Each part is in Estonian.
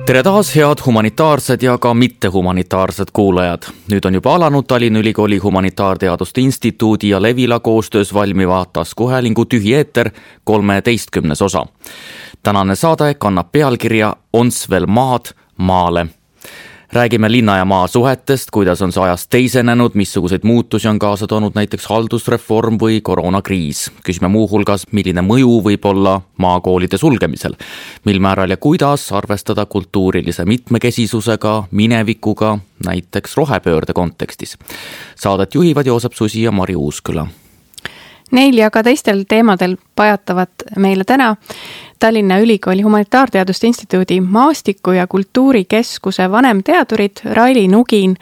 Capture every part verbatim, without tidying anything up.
Tere taas, head humanitaarsed ja ka mittehumanitaarsed kuulajad. Nüüd on juba alanud Tallinna Ülikooli Humanitaarteaduste Instituudi ja Levila koostöös valmiva taskuhäälingu Tühi eeter kolmeteistkümnes osa. Tänane saade kannab pealkirja Ons veel maad maale. Räägime linna ja maa suhetest, kuidas on see ajast teisenenud, missuguseid muutusi on kaasa toonud näiteks haldusreform või koroonakriis. Küsime muu hulgas, milline mõju võib olla maakoolide sulgemisel, mil määral ja kuidas arvestada kultuurilise mitmekesisusega, minevikuga, näiteks rohepöörde kontekstis. Saadet juhivad Joosep Susi ja Mari Uusküla. Neil ja ka teistel teemadel pajatavad meile täna Tallinna Ülikooli Humanitaarteaduste Instituudi maastiku- ja kultuurikeskuse vanemteadurid Raili Nugin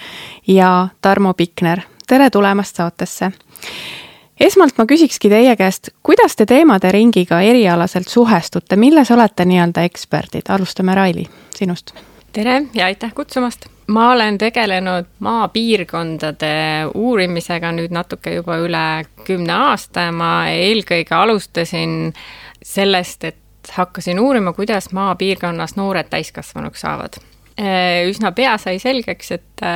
ja Tarmo Pikner. Tere tulemast saatesse. Esmalt ma küsikski teie käest, kuidas te teemade ringiga erialaselt suhestute, milles olete nii-öelda eksperdid? Alustame Raili, sinust. Tere ja aitäh kutsumast. Ma olen tegelenud maapiirkondade uurimisega nüüd natuke juba üle kümne aasta ja ma eelkõige alustasin sellest, et hakkasin uurima, kuidas maapiirkonnas noored täiskasvanuks saavad. Üsna pea sai selgeks, et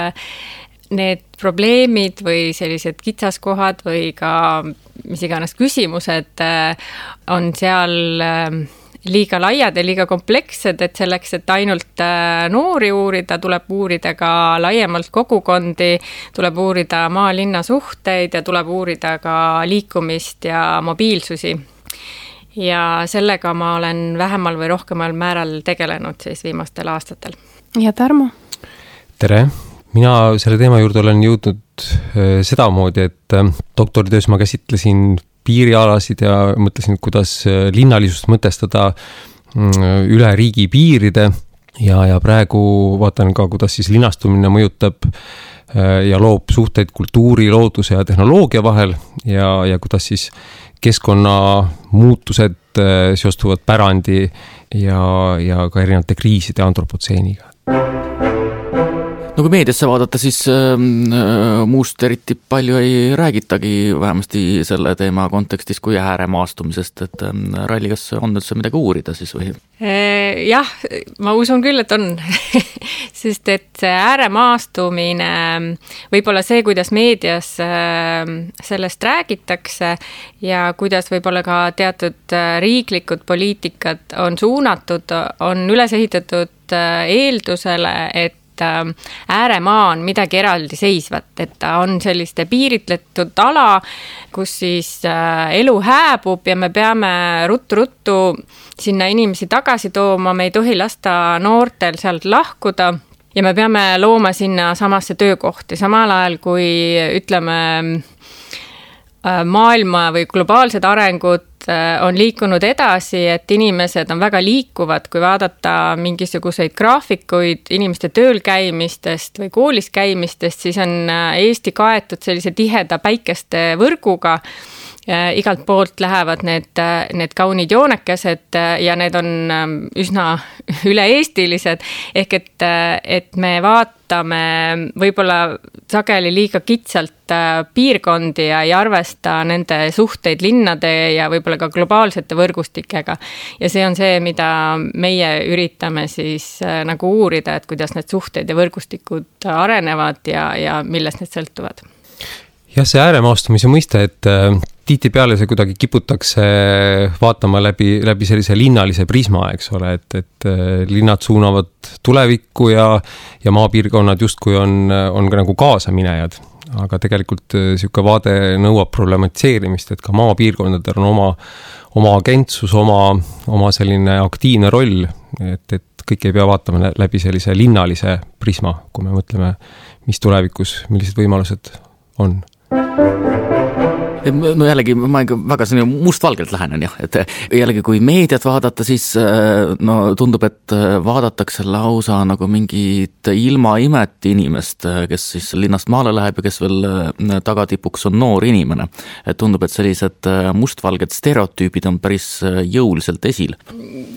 need probleemid või sellised kitsaskohad või ka mis iganes küsimused on seal liiga laiad ja liiga komplekssed, et selleks, et ainult noori uurida, tuleb uurida ka laiemalt kogukondi, tuleb uurida maa-linna suhteid ja tuleb uurida ka liikumist ja mobiilsusi. Ja sellega ma olen vähemal või rohkemal määral tegelenud siis viimastel aastatel. Ja Tarmo? Tere! Mina selle teema juurde olen jõudnud seda moodi, et doktoritöös ma käsitlesin piirialasid ja mõtlesin, kuidas linnalisust mõtestada üle riigi piiride ja, ja praegu vaatan ka, kuidas siis linnastumine mõjutab ja loob suhteid kultuuri, looduse ja tehnoloogia vahel ja, ja kuidas siis keskkonna muutused seostuvad pärandi ja, ja ka erinevate kriiside antropotseeniga. No kui meediasse vaadata, siis äh, muust eriti palju ei räägitagi vähemasti selle teema kontekstis kui ääremaastumisest, et äh, Raili, kas on üldse midagi uurida siis või? Jah, ma usun küll, et on, sest et see ääremaastumine, võib-olla see, kuidas meedias sellest räägitakse ja kuidas võib-olla ka teatud riiklikud poliitikad on suunatud, on üles ehitatud eeldusele, et ääremaa on midagi eraldi seisvat, et ta on selliste piiritletud ala, kus siis elu hääbub ja me peame ruttu-ruttu sinna inimesi tagasi tooma, me ei tohi lasta noortel sealt lahkuda ja me peame looma sinna samasse töökohti, samal ajal kui ütleme maailma või globaalsed arengud on liikunud edasi, et inimesed on väga liikuvad, kui vaadata mingisuguseid graafikuid inimeste tööl käimistest või koolis käimistest, siis on Eesti kaetud sellise tiheda päikeste võrguga. Igalt poolt lähevad need, need kaunid joonekesed ja need on üsna üle-eestilised, ehk et, et me vaatame võib-olla sageli liiga kitsalt piirkondi ja ei arvesta nende suhteid linnade ja võib-olla ka globaalsete võrgustikega. Ja see on see, mida meie üritame siis nagu uurida, et kuidas need suhteid ja võrgustikud arenevad ja, ja millest need sõltuvad. Jah, see ääremaastumise mõiste, et tihti peale see kuidagi kiputakse vaatama läbi, läbi sellise linnalise prisma, eks ole, et, et linnad suunavad tulevikku ja, ja maapiirkonnad justkui on, on ka nagu kaasaminejad. Aga tegelikult siuke vaade nõuab problematiseerimist, et ka maapiirkondadel on oma, oma agentsus, oma, oma selline aktiivne roll, et, et kõik ei pea vaatama läbi sellise linnalise prisma, kui me mõtleme, mis tulevikus, millised võimalused on. No jällegi, ma väga mustvalgelt lähenen jah, et jällegi kui meediat vaadata, siis no, tundub, et vaadatakse lausa nagu mingit ilmaimet inimest, kes siis linnast maale läheb ja kes veel tagatipuks on noor inimene. Et tundub, et sellised mustvalged stereotüübid on päris jõuliselt esil.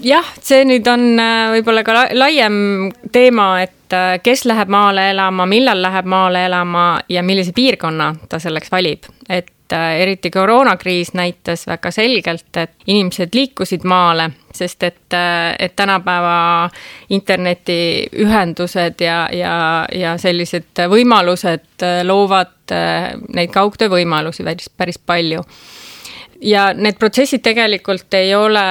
Jah, see nüüd on võib-olla ka laiem teema, et kes läheb maale elama, millal läheb maale elama ja millise piirkonna ta selleks valib. Et et eriti koroonakriis näitas väga selgelt, et inimesed liikusid maale, sest et, et tänapäeva internetiühendused ja, ja, ja sellised võimalused loovad neid kaugtöö võimalusi päris, päris palju. Ja need protsessid tegelikult ei ole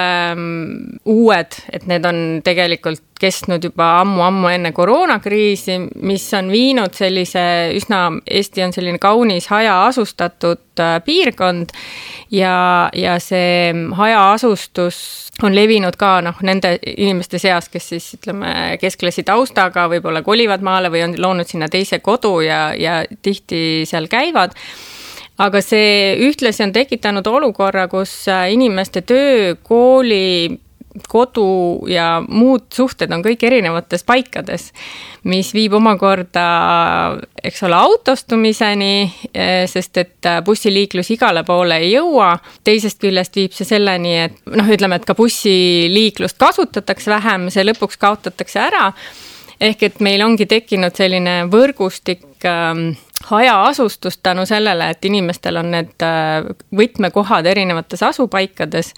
uued, et need on tegelikult kestnud juba ammu-ammu enne koroonakriisi, mis on viinud sellise üsna, Eesti on selline kaunis hajaasustatud piirkond ja, ja see hajaasustus on levinud ka noh, nende inimeste seas, kes siis ütleme keskklassi taustaga võib-olla kolivad maale või on loonud sinna teise kodu ja, ja tihti seal käivad. Aga see ühtlasi on tekitanud olukorra, kus inimeste töö, kooli, kodu ja muud suhted on kõik erinevates paikades, mis viib omakorda, eks ole, autostumiseni, sest et bussiliiklus igale poole ei jõua. Teisest küljest viib see selleni, et noh, ütleme, et ka bussiliiklust kasutatakse vähem, see lõpuks kaotatakse ära. Ehk et meil ongi tekkinud selline võrgustik ähm, hajaasustust tänu sellele, et inimestel on need võtmekohad erinevates asupaikades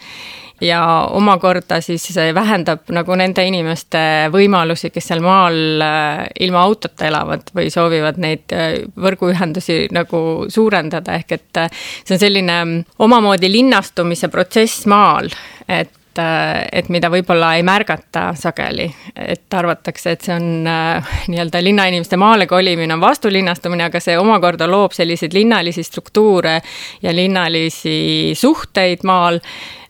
ja omakorda siis vähendab nagu nende inimeste võimalusi, kes seal maal ilma autota elavad või soovivad neid võrguühendusi nagu suurendada. Ehk et see on selline omamoodi linnastumise protsess maal, et et mida võib-olla ei märgata sageli, et arvatakse, et see on äh, nii-öelda linnainimeste maale kolimine on vastulinnastumine, aga see omakorda loob selliseid linnalisi struktuure ja linnalisi suhteid maal,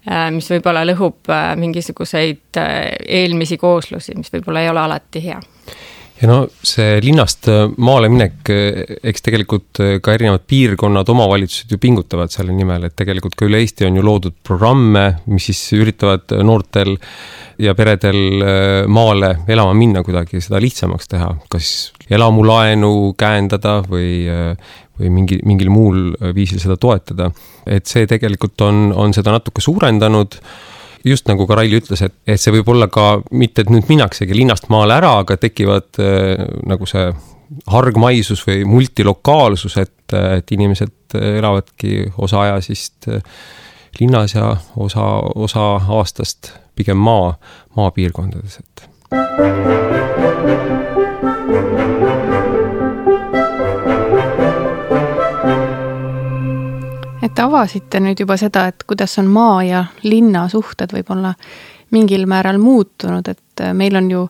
äh, mis võib-olla lõhub äh, mingisuguseid äh, eelmisi kooslusi, mis võib-olla ei ole alati hea. Ja no see linnast maale minek, eks tegelikult ka erinevad piirkonnad, omavalitsused ju pingutavad selle nimel, et tegelikult ka üle Eesti on ju loodud programme, mis siis üritavad noortel ja peredel maale elama minna kuidagi seda lihtsamaks teha, kas elamulaenu käendada või, või mingi, mingil muul viisil seda toetada. Et see tegelikult on, on seda natuke suurendanud. Just nagu ka Raili ütles, et, et see võib olla ka mitte, et nüüd minnaksegi linnast maale ära, aga tekivad äh, nagu see hargmaisus või multilokaalsus, et, et inimesed elavadki osa ajasist linnas ja osa, osa aastast pigem maa, maapiirkondades. Et. Et avasite nüüd juba seda, et kuidas on maa ja linna suhted võib-olla mingil määral muutunud, et meil on ju,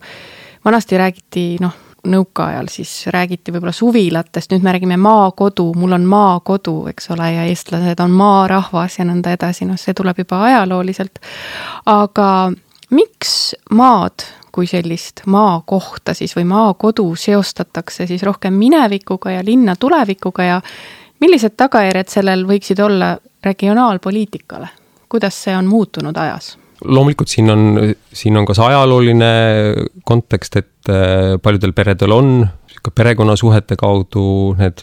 vanasti räägiti, noh, nõukaajal siis räägiti võib-olla suvilatest, nüüd me räägime maakodu, mul on maakodu, eks ole, ja eestlased on maarahvas ja nõnda edasi, noh, see tuleb juba ajalooliselt. Aga miks maad kui sellist maakohta siis või maakodu seostatakse siis rohkem minevikuga ja linna tulevikuga ja millised tagajärjed sellel võiksid olla regionaalpoliitikale? Kuidas see on muutunud ajas? Loomulikult siin on, siin on ka see ajalooline kontekst, et paljudel peredel on perekonnasuhete kaudu need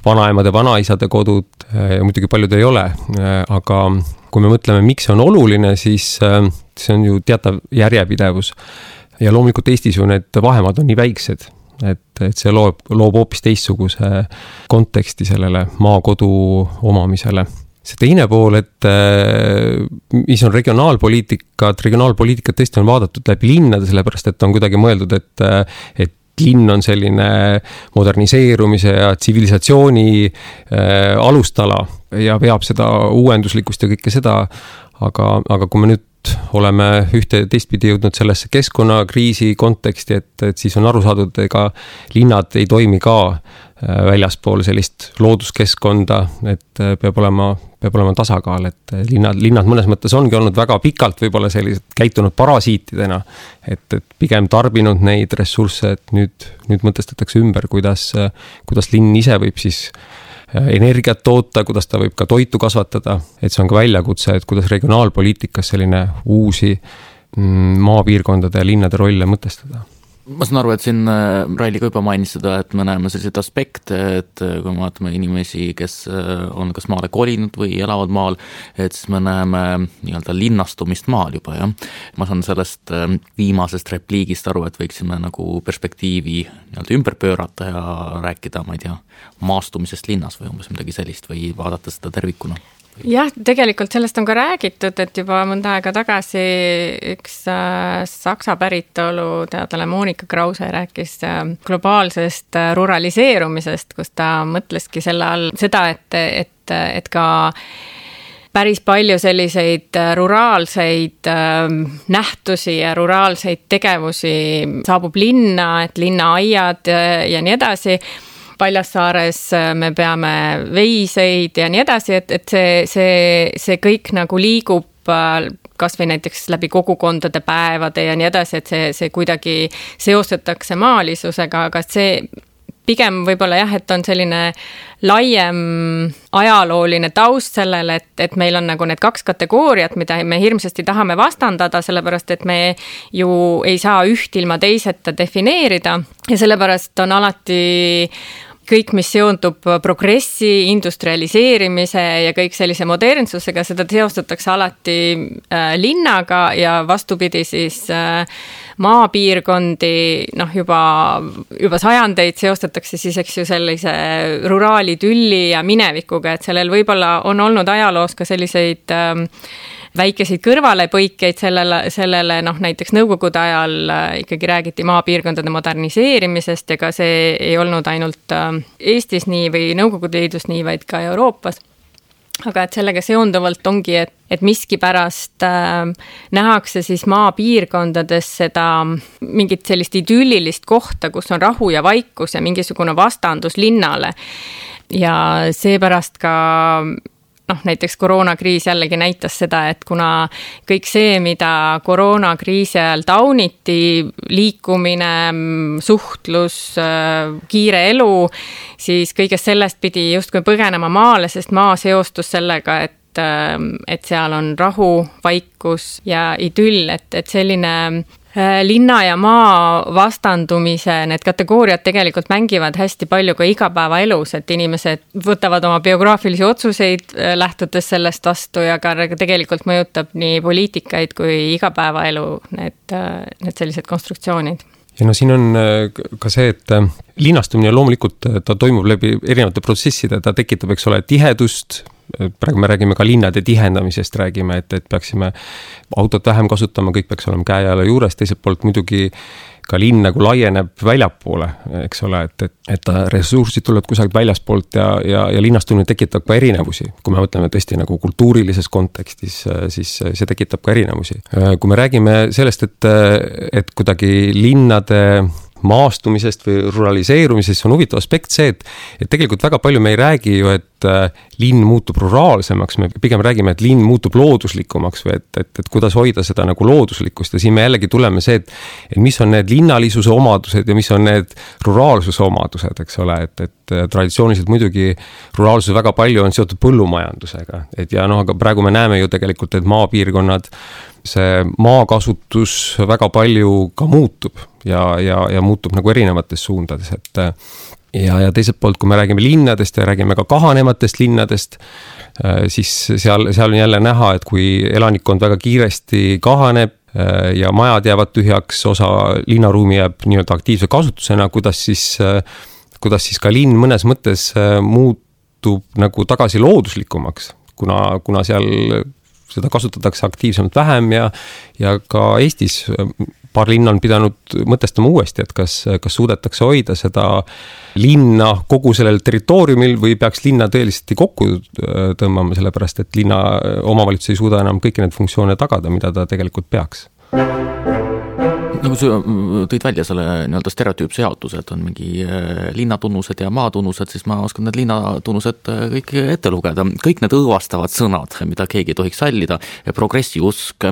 vanaemade, vanaisade kodud ja muidugi paljud ei ole. Aga kui me mõtleme, miks see on oluline, siis see on ju teatav järjepidevus. Ja loomulikult Eestis ju need vahemaad on nii väiksed, et, et see loob, loob hoopis teistsuguse konteksti sellele maakodu omamisele. See teine pool, et mis on regionaalpoliitikat, regionaalpoliitikat tõesti on vaadatud läbi linnade, sellepärast et on kuidagi mõeldud, et, et linn on selline moderniseerumise ja tsivilisatsiooni äh, alustala ja veab seda uuenduslikkust ja kõike seda, aga, aga kui me nüüd oleme ühte teistpidi jõudnud sellesse keskkonnakriisi konteksti, et, et siis on aru saadud, ega linnad ei toimi ka väljaspool sellist looduskeskkonda, et peab olema, peab olema tasakaal, et linnad, linnad mõnes mõttes ongi olnud väga pikalt võib-olla sellised käitunud parasiitidena, et, et pigem tarbinud neid ressursse, et nüüd, nüüd mõtestatakse ümber, kuidas, kuidas linn ise võib siis energiat toota, kuidas ta võib ka toitu kasvatada, et see on ka väljakutse, et kuidas regionaalpoliitikas selline uusi maapiirkondade ja linnade rolle mõtestada. ma saan aru, et siin Raili ka juba mainis seda, et me näeme selliseid aspekte, et kui me vaatame inimesi, kes on kas maale kolinud või elavad maal, et siis me näeme nii-öelda linnastumist maal juba, jah. Ma saan sellest viimasest repliigist aru, et võiksime nagu perspektiivi nii-öelda ümber pöörata ja rääkida, ma ei tea, maastumisest linnas või umbes midagi sellist või vaadata seda tervikuna. Jah, tegelikult sellest on ka räägitud, et juba mõnda aega tagasi üks äh, saksa päritolu teadlane Monika Krause rääkis äh, globaalsest äh, ruraliseerumisest, kus ta mõtleski selle all seda, et, et, et ka päris palju selliseid ruraalseid äh, nähtusi ja ruraalseid tegevusi saabub linna, et linnaaiad ja, ja nii edasi. Paljassaares me peame veiseid ja nii edasi, et, et see, see, see kõik nagu liigub kas või näiteks läbi kogukondade päevade ja nii edasi, et see, see kuidagi seostatakse maalisusega, aga see pigem võib-olla jah, et on selline laiem ajalooline taust sellele, et, et meil on nagu need kaks kategooriat, mida me hirmsasti tahame vastandada, sellepärast et me ju ei saa üht ilma teiseta defineerida ja sellepärast on alati kõik, mis seondub progressi, industrialiseerimise ja kõik sellise modernsusega, seda seostatakse alati äh, linnaga ja vastupidi siis äh, maapiirkondi, noh juba, juba sajandeid seostatakse siis, eks ju, sellise ruraali tülli ja minevikuga, et sellel võib-olla on olnud ajaloos ka selliseid äh, väikeseid kõrvalepõikeid sellele, sellele noh, näiteks nõukogude ajal ikkagi räägiti maapiirkondade moderniseerimisest ja ka see ei olnud ainult Eestis nii või Nõukogude Liidus nii, vaid ka Euroopas. Aga et sellega seonduvalt ongi, et, et miski pärast äh, nähakse siis maapiirkondades seda mingit sellist idüllilist kohta, kus on rahu ja vaikus ja mingisugune vastandus linnale. Ja seepärast ka noh, näiteks koroonakriis jällegi näitas seda, et kuna kõik see, mida koroonakriisi ajal tauniti, liikumine, suhtlus, kiire elu, siis kõigest sellest pidi justkui põgenema maale, sest maa seostus sellega, et, et seal on rahu, vaikus ja idüll, et, et selline linna ja maa vastandumise, need kategooriad tegelikult mängivad hästi palju ka igapäevaelus, et inimesed võtavad oma biograafilisi otsuseid lähtudes sellest vastu ja ka tegelikult mõjutab nii poliitikaid kui igapäevaelu need, need sellised konstruktsioonid. Ja no siin on ka see, et linnastumine loomulikult ta toimub läbi erinevate protsesside, ta tekitab, eks ole, tihedust, praegu me räägime ka linnade tihendamisest, räägime, et, et peaksime autot vähem kasutama, kõik peaks olema käe alla juures, teiselt poolt muidugi ka linn nagu laieneb väljapoole, eks ole, et, et, et ressursid tulevad kusagilt väljaspoolt ja, ja, ja linnastumine tekitab ka erinevusi. Kui me mõtleme tõesti nagu kultuurilises kontekstis, siis see tekitab ka erinevusi. Kui me räägime sellest, et, et kuidagi linnade maastumisest või ruraliseerumisest, on huvitav aspekt see, et, et tegelikult väga palju me ei räägi ju, et äh, linn muutub ruraalsemaks, me pigem räägime, et linn muutub looduslikumaks või et, et, et kuidas hoida seda nagu looduslikkust ja siin me jällegi tuleme see, et, et mis on need linnalisuse omadused ja mis on need ruraalsuse omadused, eks ole, et, et traditsiooniliselt muidugi ruraalsus väga palju on seotud põllumajandusega, et ja noh, aga praegu me näeme ju tegelikult, et maapiirkonnad see maakasutus väga palju ka muutub ja, ja, ja muutub nagu erinevates suundades, et ja, ja teiselt poolt, kui me räägime linnadest ja räägime ka kahanematest linnadest, siis seal, seal on jälle näha, et kui elanikkond väga kiiresti kahaneb ja majad jäävad tühjaks, osa linnaruumi jääb nii-öelda aktiivse kasutusena, kuidas siis, kuidas siis ka linn mõnes mõttes muutub nagu tagasi looduslikumaks, kuna, kuna seal seda kasutatakse aktiivsemalt vähem ja, ja ka Eestis paar linna on pidanud mõtestama uuesti, et kas, kas suudetakse hoida seda linna kogu sellel territooriumil või peaks linna tõeliselt kokku tõmbama, sellepärast et linna omavalitsus ei suuda enam kõiki need funktsioone tagada, mida ta tegelikult peaks. Nagu sa tõid välja selle nii-öelda stereotüüpse jaotuse, et on mingi linnatunnused ja maatunnused, siis ma oskan need linnatunnused kõik ette lugeda. Kõik need õõvastavad sõnad, mida keegi ei tohiks sallida, progressiusk,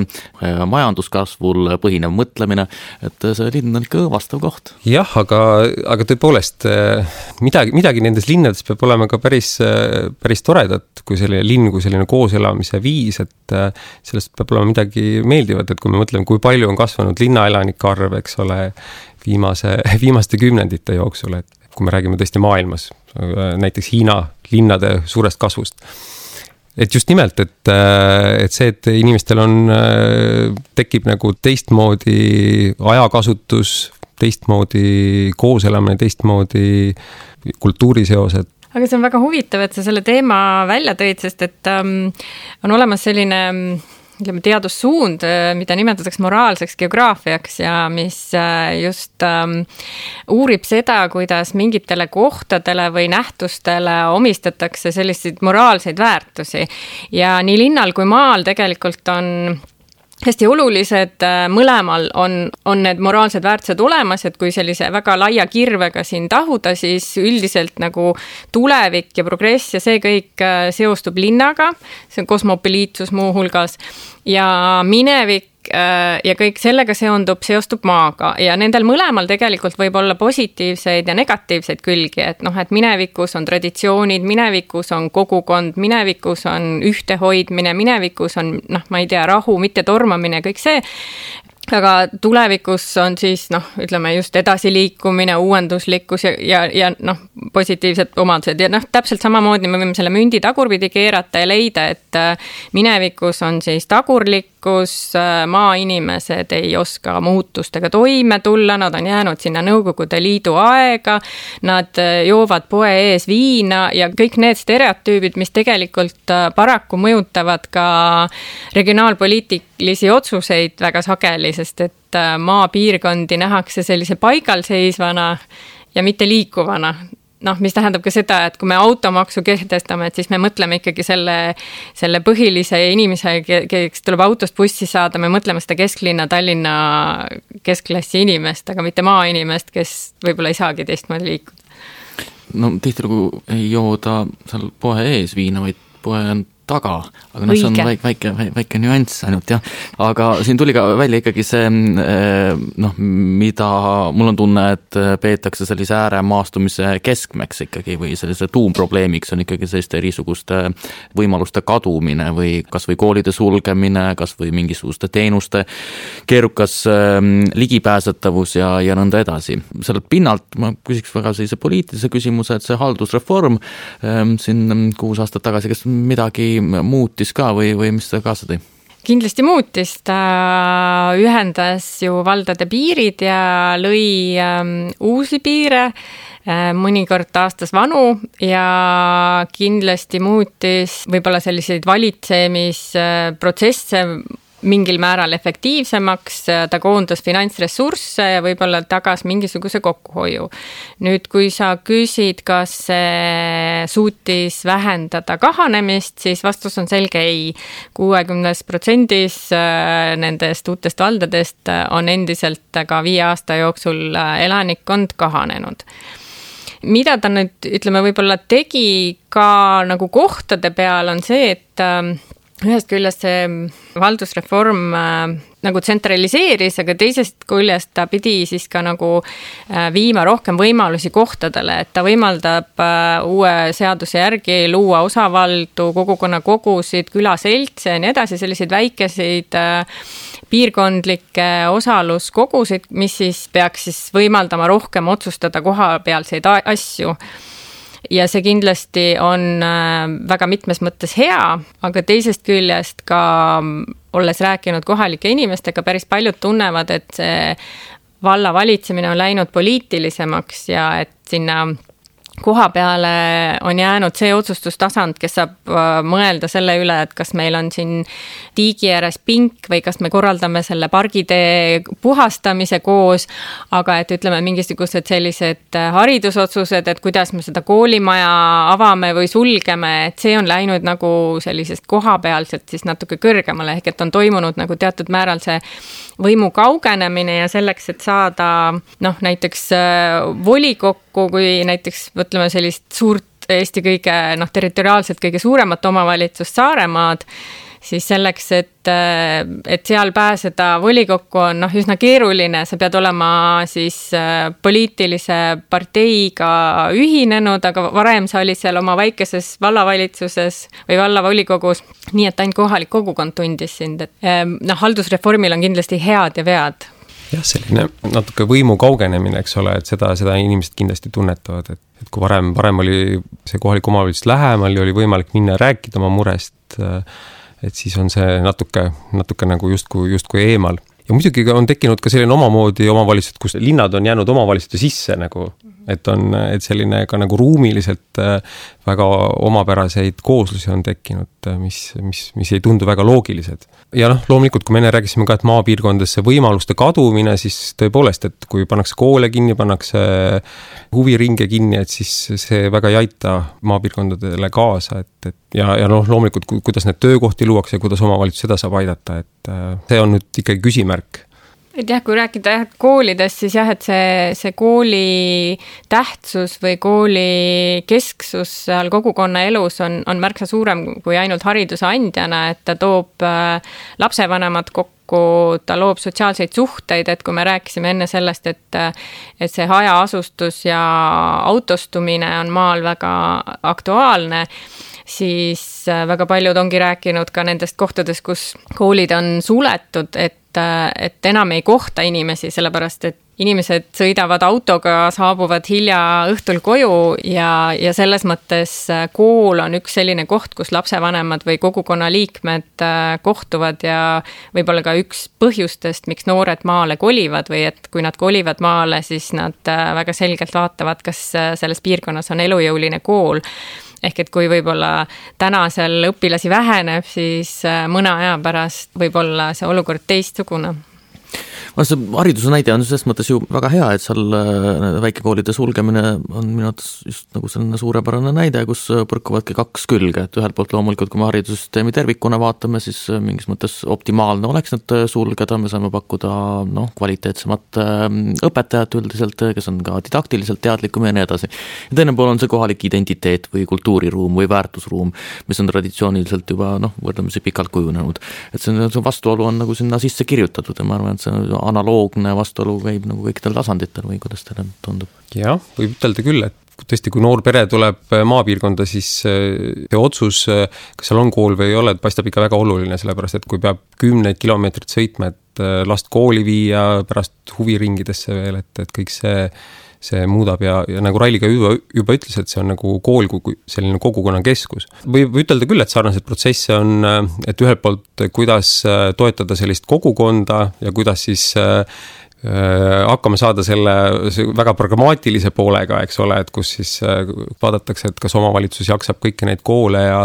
majanduskasvul põhinev mõtlemine, et see linn on ikka õõvastav koht. Jah, aga, aga tõepoolest midagi, midagi nendes linnades peab olema ka päris, päris toredat, kui selline linn, kui selline kooselamise viis, et sellest peab olema midagi meeldivat, et kui me mõtleme, kui palju on kasvanud linnaelanik arv, eks ole, viimase, viimaste kümnendite jooksul, et kui me räägime tõesti maailmas, näiteks Hiina linnade suurest kasvust. Et just nimelt, et, et see, et inimestel on, tekib nagu teistmoodi ajakasutus, teistmoodi kooselamine, teistmoodi kultuuriseosed. Aga see on väga huvitav, et sa selle teema välja tõid, sest et um, on olemas selline ütleme, teadussuund, mida nimetatakse moraalseks geograafiaks ja mis just um, uurib seda, kuidas mingitele kohtadele või nähtustele omistatakse selliseid moraalseid väärtusi. Ja nii linnal kui maal tegelikult on hästi olulised, mõlemal on, on need moraalsed väärtused olemas, et kui sellise väga laia kirvega siin tahuda, siis üldiselt nagu tulevik ja progress ja see kõik seostub linnaga, see on kosmopoliitsus muu hulgas, ja minevik ja kõik sellega seondub, seostub maaga ja nendel mõlemal tegelikult võib olla positiivseid ja negatiivseid külgi, et noh, et minevikus on traditsioonid, minevikus on kogukond, minevikus on ühtehoidmine, minevikus on, noh, ma ei tea, rahu, mitte tormamine, kõik see. Aga tulevikus on siis, noh, ütleme just edasiliikumine, uuenduslikkus ja, ja, ja noh, positiivsed omadused. Ja noh, täpselt samamoodi me võime selle mündi tagurpidi keerata ja leida, et minevikus on siis tagurlikkus, maainimesed ei oska muutustega toime tulla, nad on jäänud sinna Nõukogude Liidu aega, nad joovad poe ees viina ja kõik need stereotüübid, mis tegelikult paraku mõjutavad ka regionaalpoliitilisi otsuseid väga sageli, sest et maapiirkondi nähakse sellise paigalseisvana ja mitte liikuvana. Noh, mis tähendab ka seda, et kui me automaksu kehtestame, et siis me mõtleme ikkagi selle, selle põhilise inimese, kes tuleb autost bussi saada, me mõtleme seda kesklinna, Tallinna keskklassi inimest, aga mitte maainimest, kes võib-olla ei saagi teistmoodi liikuda. No tihti nagu ei jooda seal poe ees viina, vaid poe on taga, aga noh, see on väike, väike, väike nüanss ainult, jah. Aga siin tuli ka välja ikkagi see, noh, mida mul on tunne, et peetakse sellise ääremaastumise keskmeks ikkagi või sellise tuumprobleemiks on ikkagi selliste erisuguste võimaluste kadumine või kas või koolide sulgemine, kas või mingisuguste teenuste keerukas ligipääsetavus ja, ja nõnda edasi. Sellelt pinnalt ma küsiks väga sellise poliitilise küsimuse, et see haldusreform siin kuus aastat tagasi, kas midagi muutis ka või, või mis ta kaasa tõi? Kindlasti muutis, ta ühendas ju valdade piirid ja lõi ähm, uusi piire, äh, mõnikord taastas vanu ja kindlasti muutis võib-olla selliseid valitsemisprotsesse mingil määral efektiivsemaks, ta koondas finantsressursse ja võib-olla tagas mingisuguse kokkuhoiu. Nüüd, kui sa küsid, kas see suutis vähendada kahanemist, siis vastus on selge ei. kuuekümnes protsendis nendest uutest valdadest on endiselt ka viie aasta jooksul elanikkond kahanenud. Mida ta nüüd, ütleme, võib-olla tegi ka nagu kohtade peal on see, et ühest küljest see valdusreform äh, nagu tsentraliseeris, aga teisest küljest ta pidi siis ka nagu äh, viima rohkem võimalusi kohtadele, et ta võimaldab äh, uue seaduse järgi luua osavaldu, kogukonna kogusid, külaseltse ja nii edasi, selliseid väikeseid äh, piirkondlikke osaluskogusid, mis siis peaks siis võimaldama rohkem otsustada kohapealseid asju. Ja see kindlasti on väga mitmes mõttes hea, aga teisest küljest ka olles rääkinud kohalike inimestega, päris paljud tunnevad, et see valla valitsemine on läinud poliitilisemaks ja et sinna koha peale on jäänud see otsustustasand, kes saab mõelda selle üle, et kas meil on siin tiigi ääres pink või kas me korraldame selle pargitee puhastamise koos, aga et ütleme mingisugused sellised haridusotsused, et kuidas me seda koolimaja avame või sulgeme, et see on läinud nagu sellisest kohapealselt siis natuke kõrgemale, ehk et on toimunud nagu teatud määral see võimu kaugenemine ja selleks, et saada noh, näiteks volikokku, kui näiteks võtleme sellist suurt Eesti kõige, noh, territoriaalselt kõige suuremat omavalitsust Saaremaad, siis selleks, et, et seal pääseda volikokku on noh, üsna keeruline, sa pead olema siis poliitilise parteiga ühinenud, aga varem sa olid seal oma väikeses vallavalitsuses või vallavolikogus, nii et ainult kohalik kogukond tundis sind. Et, noh, haldusreformil on kindlasti head ja vead. jah, selline natuke võimu kaugenemine, eks ole, et seda, seda inimesed kindlasti tunnetavad, et, et kui varem, varem oli see kohalik omavalitsus lähemal ja oli võimalik minna ja rääkida oma murest, et siis on see natuke, natuke nagu justkui, justkui eemal. Ja muidugi on tekkinud ka selline omamoodi omavalitsused, kus linnad on jäänud omavalitsuste sisse nagu, et on, et selline ka nagu ruumiliselt väga omapäraseid kooslusi on tekkinud, mis, mis, mis ei tundu väga loogilised. Ja noh, loomulikult, kui me enne rääkisime ka, et maapiirkondadesse võimaluste kadumine, siis tõepoolest, et kui pannakse koole kinni, pannakse huviringe kinni, et siis see väga ei aita maapiirkondadele kaasa, et, et ja, ja noh, loomulikult, kuidas need töökohti luuakse ja kuidas omavalitsus seda saab aidata, et see on nüüd ikkagi küsimärk. Et jah, kui rääkida jah, koolidest, siis jah, et see, see kooli tähtsus või kooli kesksus seal kogukonna elus on, on märksa suurem kui ainult hariduse andjana, et ta toob lapsevanemad kokku, ta loob sotsiaalseid suhteid, et kui me rääkisime enne sellest, et, et see hajaasustus ja autostumine on maal väga aktuaalne, siis väga paljud ongi rääkinud ka nendest kohtadest, kus koolid on suletud, et et enam ei kohta inimesi, sellepärast et inimesed sõidavad autoga, saabuvad hilja õhtul koju ja, ja selles mõttes kool on üks selline koht, kus lapsevanemad või kogukonna liikmed kohtuvad ja võib-olla ka üks põhjustest, miks noored maale kolivad või et kui nad kolivad maale, siis nad väga selgelt vaatavad, kas selles piirkonnas on elujõuline kool. Ehk et kui võib-olla täna seal õpilasi väheneb, siis mõne aja pärast võib-olla see olukord teistsugune. See hariduse näide on selles mõttes ju väga hea, et seal väikekoolide sulgemine on minu arvates just nagu selline suurepärane näide, kus põrkuvadki kaks külge, et ühelt poolt loomulikult, kui me haridussüsteemi tervikuna vaatame, siis mingis mõttes optimaalne oleks need sulgeda, me saame pakkuda noh, kvaliteetsemat õpetajat üldiselt, kes on ka didaktiliselt teadlikum ja nii edasi. Ja teine pool on see kohalik identiteet või kultuuriruum või väärtusruum, mis on traditsiooniliselt juba noh, võrdlemisi pikalt kujunenud. Et see, see vastuolu on nagu sinna sisse kirjutatud ja ma arvan, et see analoogne vastuolu käib nagu kõikidel tasanditel või kuidas teile tundub? Jah, võib ütelda küll, et tõesti, kui noor pere tuleb maapiirkonda, siis see otsus, kas seal on kool või ei ole, paistab ikka väga oluline, sellepärast, et kui peab kümneid kilomeetrit sõitma, et last kooli viia, pärast huviringidesse veel, et, et kõik see, see muudab ja, ja nagu Raili ka juba, juba ütles, et see on nagu kool kui selline kogukonna keskus. Võib ütelda küll, et sarnaseid protsesse on, et ühelt poolt, kuidas toetada sellist kogukonda ja kuidas siis hakkame saada selle väga pragmaatilise poolega, eks ole, et kus siis vaadatakse, et kas omavalitsus jaksab kõiki neid koole ja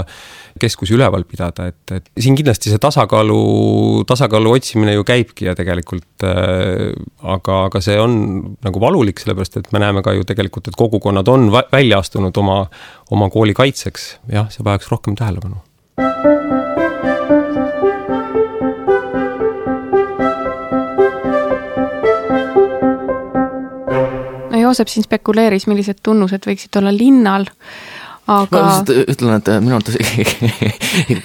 keskusi üleval pidada, et, et siin kindlasti see tasakaalu, tasakaalu otsimine ju käibki ja tegelikult, aga, aga see on nagu valulik, sellepärast, et me näeme ka ju tegelikult, et kogukonnad on välja astunud oma, oma kooli kaitseks. Jah, see vajaks rohkem tähelepanu. Joosep siin spekuleeris, millised tunnused võiksid olla linnal, aga... Ma ütlen, et minu arvates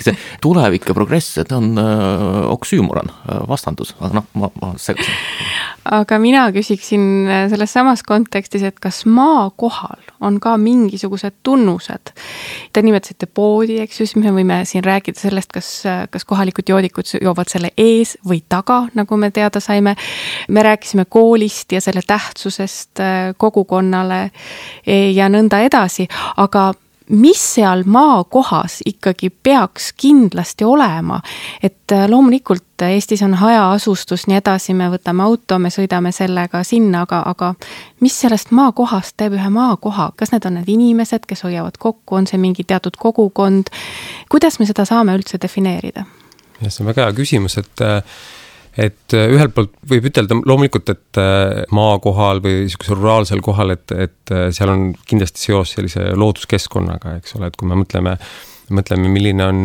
see tulevik ja progress, et on oksüümoron, vastandus, aga noh, ma, ma segasin. Aga mina küsiksin selles samas kontekstis, et kas maa kohal on ka mingisugused tunnused. Te nimetasite poodi, eks ju, siis me võime siin rääkida sellest, kas, kas kohalikud joodikud joovad selle ees või taga, nagu me teada saime. Me rääkisime koolist ja selle tähtsusest kogukonnale ja nõnda edasi, aga mis seal maa kohas ikkagi peaks kindlasti olema, et loomulikult Eestis on hajaasustus, nii edasi, me võtame auto, me sõidame sellega sinna, aga, aga mis sellest maa kohast teeb ühe maa koha? Kas need on need inimesed, kes hoiavad kokku, on see mingi teatud kogukond? Kuidas me seda saame üldse defineerida? Ja see on väga hea küsimus, et et ühelt poolt võib ütelda loomulikult, et maa kohal või niisuguse ruraalsel kohal, et, et seal on kindlasti seos sellise looduskeskkonnaga, eks ole, et kui me mõtleme, mõtleme, milline on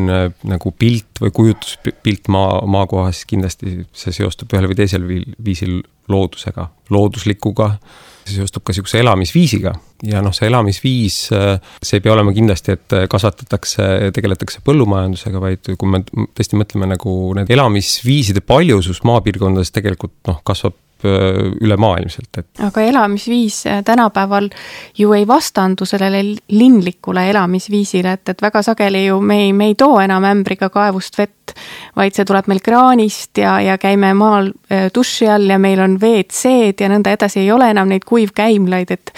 nagu pilt või kujutuspilt maa, maa kohas, kindlasti see seostub ühel või teisel viisil loodusega, looduslikuga, see seostub ka niisuguse elamisviisiga ja noh, see elamisviis, see ei pea olema kindlasti, et kasvatatakse, tegeletakse põllumajandusega, vaid kui me tõesti mõtleme nagu need elamisviiside paljusus maapiirkondades tegelikult noh, kasvab ülemaailmselt. Et... aga elamisviis tänapäeval ju ei vastandu sellele linlikule elamisviisile, et, et väga sageli ju me ei, me ei too enam ämbriga kaevust vett, vaid see tuleb meil kraanist ja, ja käime maal duši all ja meil on V C-d ja nõnda edasi, ei ole enam neid kuivkäimlaid, et,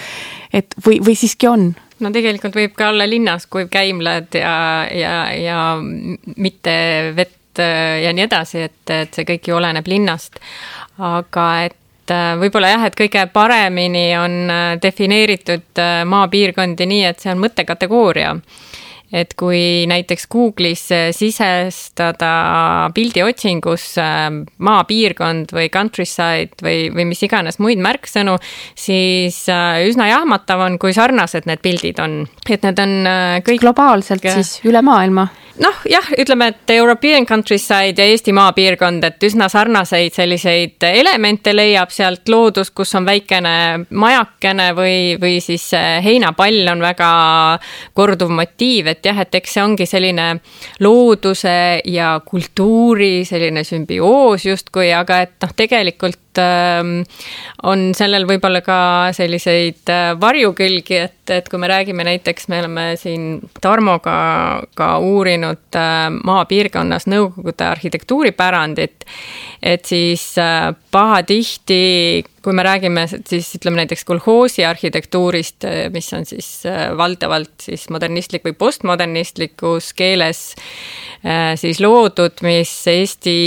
et või, või siiski on? No tegelikult võib ka olla linnas kuivkäimlad ja, ja, ja mitte vett ja nii edasi, et, et see kõik ju oleneb linnast. Aga et võib-olla jah, et kõige paremini on defineeritud maapiirkondi nii, et see on mõttekategooria. Et kui näiteks Google'is sisestada pildiotsingus maapiirkond või countryside või, või mis iganes muid märksõnu, siis üsna jahmatav on, kui sarnased need pildid on. Et need on kõik... globaalselt siis üle maailma? Noh, jah, ütleme, et European countryside ja Eesti maapiirkond, et üsna sarnaseid selliseid elemente leiab sealt loodus, kus on väikene majakene või, või siis heinapall on väga korduv motiiv, et jah, et eks see ongi selline looduse ja kultuuri selline sümbioos justkui, aga et noh, tegelikult on sellel võib-olla ka selliseid varjukülgi, et, et kui me räägime näiteks, me oleme siin Tarmoga ka uurinud maapiirkonnas Nõukogude arhitektuuripärandit, et siis pahatihti, kui me räägime siis ütleme näiteks kolhoosi arhitektuurist, mis on siis valdavalt siis modernistlik või postmodernistlikus keeles siis loodud, mis Eesti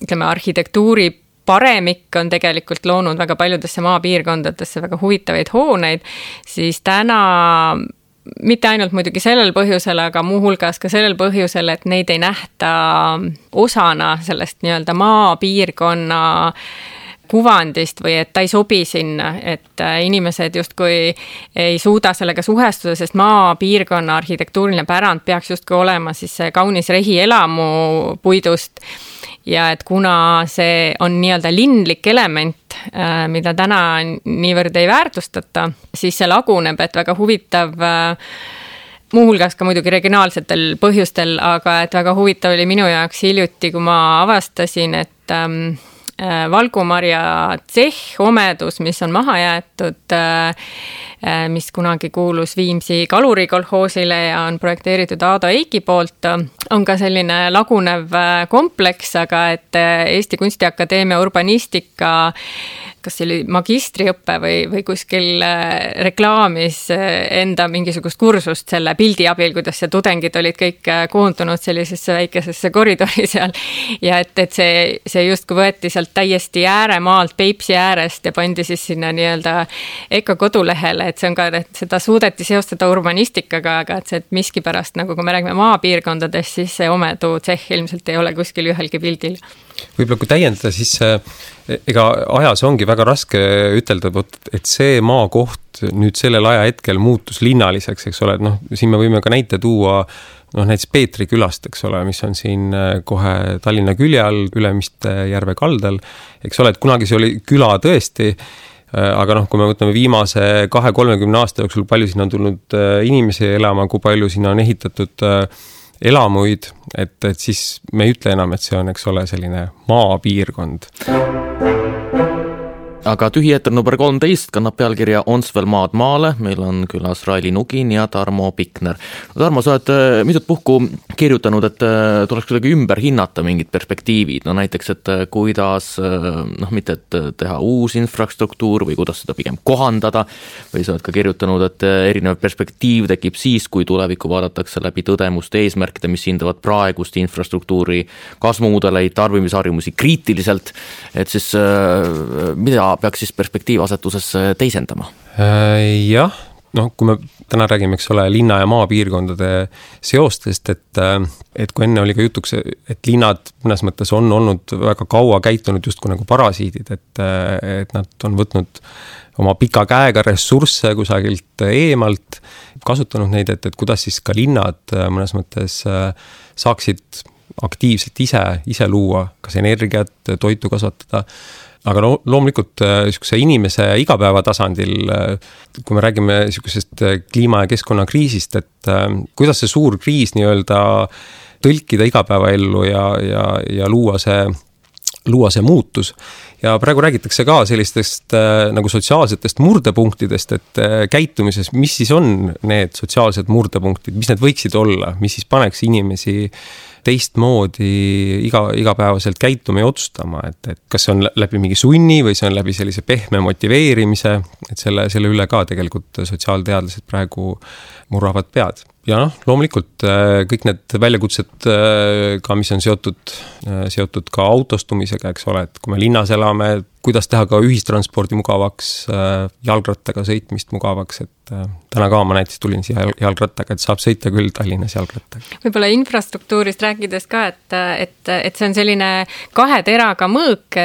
ütleme arhitektuuri paremik on tegelikult loonud väga paljudesse maapiirkondadesse väga huvitavaid hooneid, siis täna mitte ainult muidugi sellel põhjusel, aga muuhulgas ka sellel põhjusel, et neid ei nähta osana sellest nii-öelda maapiirkonna kuvandist või et ta ei sobi sinna, et inimesed justkui ei suuda sellega suhestuda, sest maapiirkonna arhitektuuriline pärand peaks justkui olema siis see kaunis rehielamu puidust. Ja et kuna see on nii-öelda linlik element, mida täna niivõrd ei väärtustata, siis see laguneb, et väga huvitav, muuhulgas ka muidugi regionaalsetel põhjustel, aga et väga huvitav oli minu jaoks hiljuti, kui ma avastasin, et valgumarja tsehh omedus, mis on maha jäetud, mis kunagi kuulus Viimsi kalurikolhoosile ja on projekteeritud Aado Eiki poolt, on ka selline lagunev kompleks, aga et Eesti Kunstiakadeemia urbanistika kas see oli magistriõppe või, või kuskil reklaamis enda mingisugust kursust selle pildi abil, kuidas see tudengid olid kõik koondunud sellisesse väikesesse koridori seal. Ja et, et see, see justkui võeti sealt täiesti ääremaalt Peipsi äärest ja pandi siis sinna nii-öelda Eka kodulehele, et see on ka, et seda suudeti seostada urbanistikaga, aga et see et miski pärast, nagu kui me räägime maapiirkondadest, siis see omedu tsehh ilmselt ei ole kuskil ühelgi pildil. Võib-olla kui täiendada, siis ega ajas ongi väga raske ütelda, et see maakoht nüüd sellel aja hetkel muutus linnaliseks, eks ole, et noh, siin me võime ka näite tuua noh, näiteks Peetri külast, eks ole, mis on siin kohe Tallinna külje all, Ülemiste järve kaldal, eks ole, et kunagi see oli küla tõesti, aga noh, kui me võtame viimase kahe kolmekümne aasta jooksul, palju siin on tulnud inimesi elama, kui palju siin on ehitatud elamuid, et, et siis me ei ütle enam, et see on, eks ole, selline maapiirkond. Aga tühieeter number kolmteist kannab pealkirja Ons veel maad maale, meil on külas Raili Nugin ja Tarmo Pikner. No, Tarmo, sa oled mitut puhku kirjutanud, et tuleks kuidagi ümber hinnata mingid perspektiivid, no näiteks, et kuidas, noh mitte et teha uus infrastruktuur või kuidas seda pigem kohandada, või sa oled ka kirjutanud, et erinev perspektiiv tekib siis, kui tulevikku vaadatakse läbi tõdemuste eesmärkide, mis hindavad praegust infrastruktuuri kasvumudeleid, tarbimisharjumusi kriitiliselt, et siis mida peaks siis perspektiivasetuses teisendama? Jah, noh, kui me täna räägime, eks ole, linna ja maapiirkondade seostest, et, et kui enne oli ka jutuks, et linnad mõnes mõttes on olnud väga kaua käitunud justkui nagu parasiidid, et, et nad on võtnud oma pika käega ressursse kusagilt eemalt, kasutanud neid, et, et kuidas siis ka linnad mõnes mõttes saaksid aktiivselt ise, ise luua, kas energiat, toitu kasvatada. Aga no, loomulikult niisuguse inimese igapäeva tasandil, kui me räägime niisugusest kliima- ja keskkonnakriisist, et kuidas see suur kriis nii-öelda tõlkida igapäevaellu ja, ja, ja luua see luua see muutus. Ja praegu räägitakse ka sellistest äh, nagu sotsiaalsetest murdepunktidest, et äh, käitumises, mis siis on need sotsiaalsed murdepunktid, mis need võiksid olla, mis siis paneks inimesi teistmoodi iga, igapäevaselt käituma ja otsustama, et, et kas see on läbi mingi sunni või see on läbi sellise pehme motiveerimise, et selle, selle üle ka tegelikult sotsiaalteadlased praegu murravad pead. Ja noh, loomulikult kõik need väljakutsed ka, mis on seotud, seotud ka autostumisega, eks ole, et kui me linnas elame, kuidas teha ka ühistranspordi mugavaks, jalgrattaga sõitmist mugavaks, et täna ka ma näiteks tulin siia jalgrattaga, et saab sõita küll Tallinnas jalgrattaga. Võib-olla infrastruktuurist rääkides ka, et, et, et see on selline kahe teraga mõõk,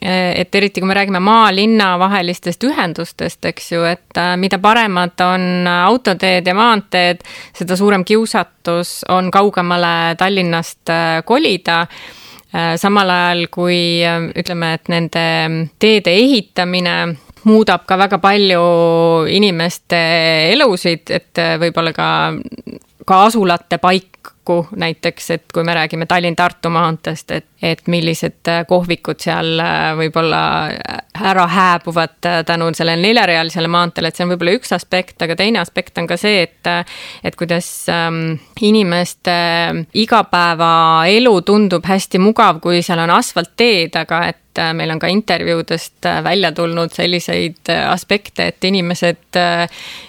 et eriti kui me räägime maa-linna vahelistest ühendustest, eks ju, et mida paremad on autoteed ja maanteed, seda suurem kiusatus on kaugemale Tallinnast kolida. Samal ajal kui ütleme, et nende teede ehitamine muudab ka väga palju inimeste elusid, et võib-olla ka, ka asulate paikku näiteks, et kui me räägime Tallinn-Tartu maantest, et, et millised kohvikud seal võib-olla ära hääbuvad tänu sellele neljarealisele maantele, et see on võib-olla üks aspekt, aga teine aspekt on ka see, et, et kuidas inimeste igapäevaelu tundub hästi mugav, kui seal on asfaltteed, aga et meil on ka intervjuudest välja tulnud selliseid aspekte, et inimesed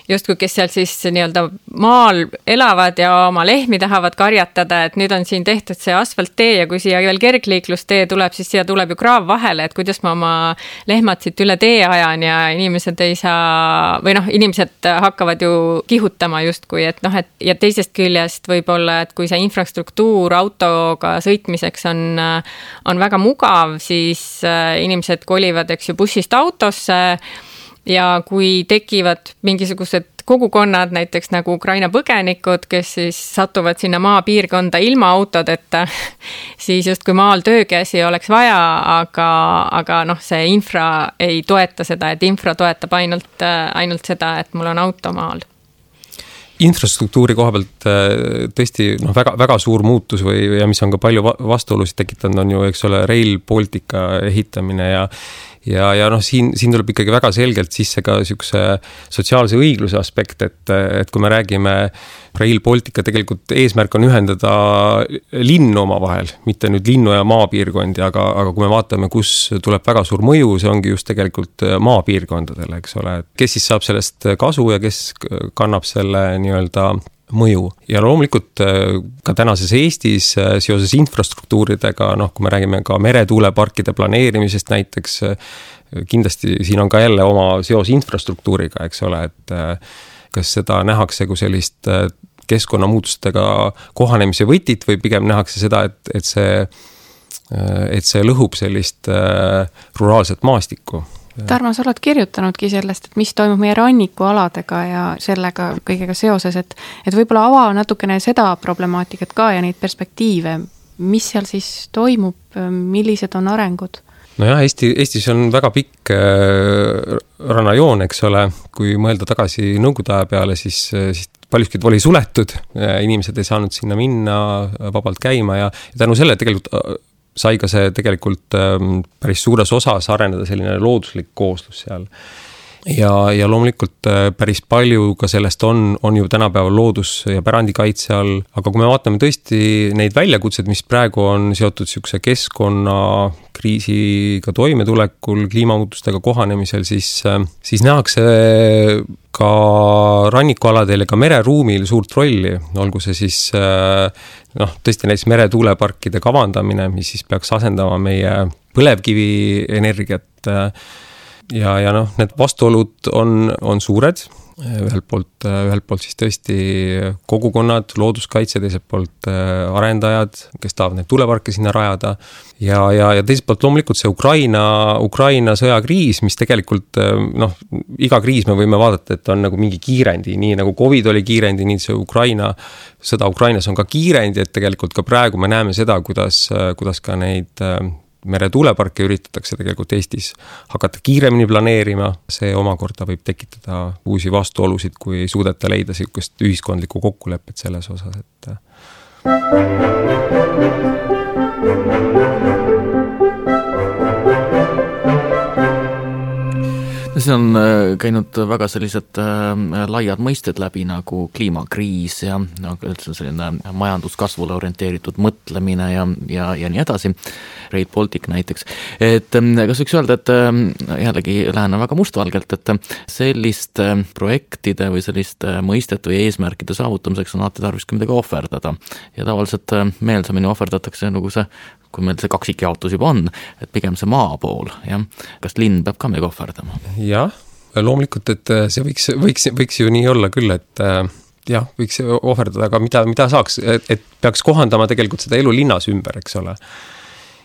justkui, kes seal siis nii-öelda maal elavad ja oma lehmi tahavad karjatada, et nüüd on siin tehtud see asfalttee ja kui siia veel kergliiklustee tuleb, siis siia tuleb ju kraav vahele, et kuidas ma oma lehmad siit üle tee ajan ja inimesed ei saa, või noh, inimesed hakkavad ju kihutama justkui, et noh, et ja teisest küljest võib-olla, et kui see infrastruktuur autoga sõitmiseks on, on väga mugav, siis inimesed kolivad, eks ju, bussist autosse ja kui tekivad mingisugused kogukonnad, näiteks nagu Ukraina põgenikud, kes siis satuvad sinna maapiirkonda ilma autodeta, siis just kui maal töökäsi oleks vaja, aga, aga noh, see infra ei toeta seda, et infra toetab ainult, ainult seda, et mul on auto maal. Infrastruktuuri koha pealt tõesti no, väga, väga suur muutus või, ja mis on ka palju vastuolusid tekitanud, on ju, eks ole, Rail Baltica ehitamine ja Ja, ja noh, siin, siin tuleb ikkagi väga selgelt sisse ka niisuguse sotsiaalse õigluse aspekt, et, et kui me räägime Rail Baltica, tegelikult eesmärk on ühendada linnu oma vahel, mitte nüüd linnu ja maapiirkondi, aga, aga kui me vaatame, kus tuleb väga suur mõju, see ongi just tegelikult maapiirkondadele, eks ole, kes siis saab sellest kasu ja kes kannab selle nii-öelda mõju. Ja loomulikult ka tänases Eestis seoses infrastruktuuridega, noh, kui me räägime ka meretuuleparkide planeerimisest näiteks, kindlasti siin on ka jälle oma seos infrastruktuuriga, eks ole, et kas seda nähakse kui sellist keskkonnamuutustega kohanemise võtit või pigem nähakse seda, et, et see, et see lõhub sellist ruraalset maastikku. Tarmo, sa oled kirjutanudki sellest, et mis toimub meie rannikualadega ja sellega kõigega seoses, et, et võib-olla ava natukene seda problemaatikat ka ja neid perspektiive, mis seal siis toimub, millised on arengud? No jah, Eesti, Eestis on väga pikk äh, rannajoon, eks ole, kui mõelda tagasi nõukogude aja peale, siis, siis paljuski oli suletud, inimesed ei saanud sinna minna vabalt käima ja, ja tänu selle tegelikult sai ka see tegelikult päris suures osas areneda selline looduslik kooslus seal. Ja, ja loomulikult päris palju ka sellest on, on ju tänapäeval loodus- ja pärandikaitse all, aga kui me vaatame tõesti neid väljakutsed, mis praegu on seotud siukse keskkonna kriisiga toimetulekul, kliimamuutustega kohanemisel, siis, siis nähakse ka rannikualadel ja ka mereruumil suurt rolli, olgu see siis noh, tõesti näiteks meretuuleparkide kavandamine, mis siis peaks asendama meie põlevkivi energiat ja, ja noh, need vastuolud on, on suured, ühelt poolt, ühelt poolt siis tõesti kogukonnad, looduskaitse, teiselt poolt arendajad, kes tahavad need tuuleparke sinna rajada ja, ja, ja teiselt poolt loomulikult see Ukraina, Ukraina sõjakriis, mis tegelikult noh, iga kriis me võime vaadata, et on nagu mingi kiirendi, nii nagu COVID oli kiirendi, nii see Ukraina, sõda Ukrainas on ka kiirendi, et tegelikult ka praegu me näeme seda, kuidas, kuidas ka neid meretuuleparke üritatakse tegelikult Eestis hakata kiiremini planeerima, see omakorda võib tekitada uusi vastuolusid, kui ei suudeta leida sellist ühiskondlikku kokkulepet selles osas, et See on käinud väga sellised laiad mõisted läbi nagu kliimakriis ja nagu üldse selline majanduskasvule orienteeritud mõtlemine ja, ja, ja nii edasi. Rail Baltic näiteks. Et kas võiks öelda, et jällegi lähene väga mustvalgelt, et selliste projektide või selliste mõistete või eesmärkide saavutamiseks on alati tarvis midagi ohverdada. Ja tavaliselt meelsamini ohverdatakse nagu see, kui meil see kaksikjaotus juba on, et pigem see maa pool. Ja? Kas linn peab ka midagi ohverdama? Jah, loomulikult, et see võiks, võiks, võiks ju nii olla küll, et jah, võiks ohverdada, aga mida, mida saaks, et peaks kohandama tegelikult seda elu linnas ümber, eks ole.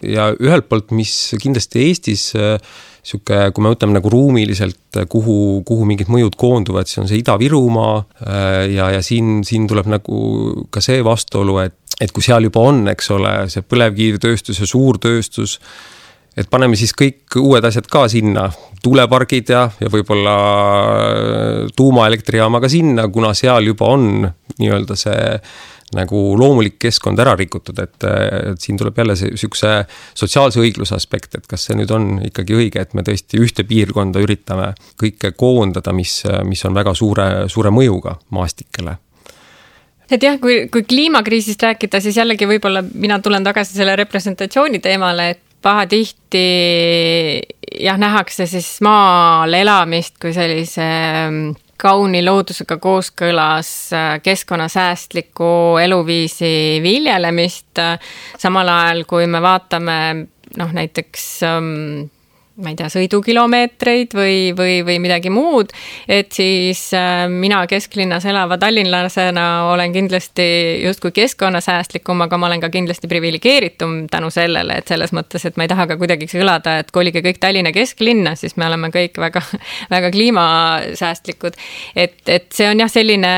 Ja ühelt poolt, mis kindlasti Eestis siuke, kui me võtame nagu ruumiliselt, kuhu, kuhu mingid mõjud koonduvad, siis on see Ida-Virumaa ja, ja siin, siin tuleb nagu ka see vastuolu, et, et kui seal juba on, eks ole, see põlevkivitööstus ja suurtööstus, et paneme siis kõik uued asjad ka sinna, tuulepargid ja, ja võib-olla tuumaelektrijaama ka sinna, kuna seal juba on nii-öelda see nagu loomulik keskkond ära rikutud, et, et siin tuleb jälle see sükse sotsiaalse õigluse aspekt, et kas see nüüd on ikkagi õige, et me tõesti ühte piirkonda üritame kõike koondada, mis, mis on väga suure, suure mõjuga maastikele. Et jah, kui, kui kliimakriisist rääkida, siis jällegi võib-olla mina tulen tagasi selle representatsiooni teemale, et pahatihti jah, nähakse siis maal elamist kui sellise kauni loodusega kooskõlas keskkonnasäästliku eluviisi viljelemist, samal ajal kui me vaatame noh, näiteks ma ei tea, sõidukilomeetreid või, või, või midagi muud, et siis mina kesklinnas elava tallinlasena olen kindlasti justkui keskkonnasäästlikum, aga ma olen ka kindlasti privilegeeritum tänu sellele, et selles mõttes, et ma ei taha ka kuidagi kõlada, et kolige kõik Tallinna kesklinna, siis me oleme kõik väga, väga kliimasäästlikud. Et, et see on jah selline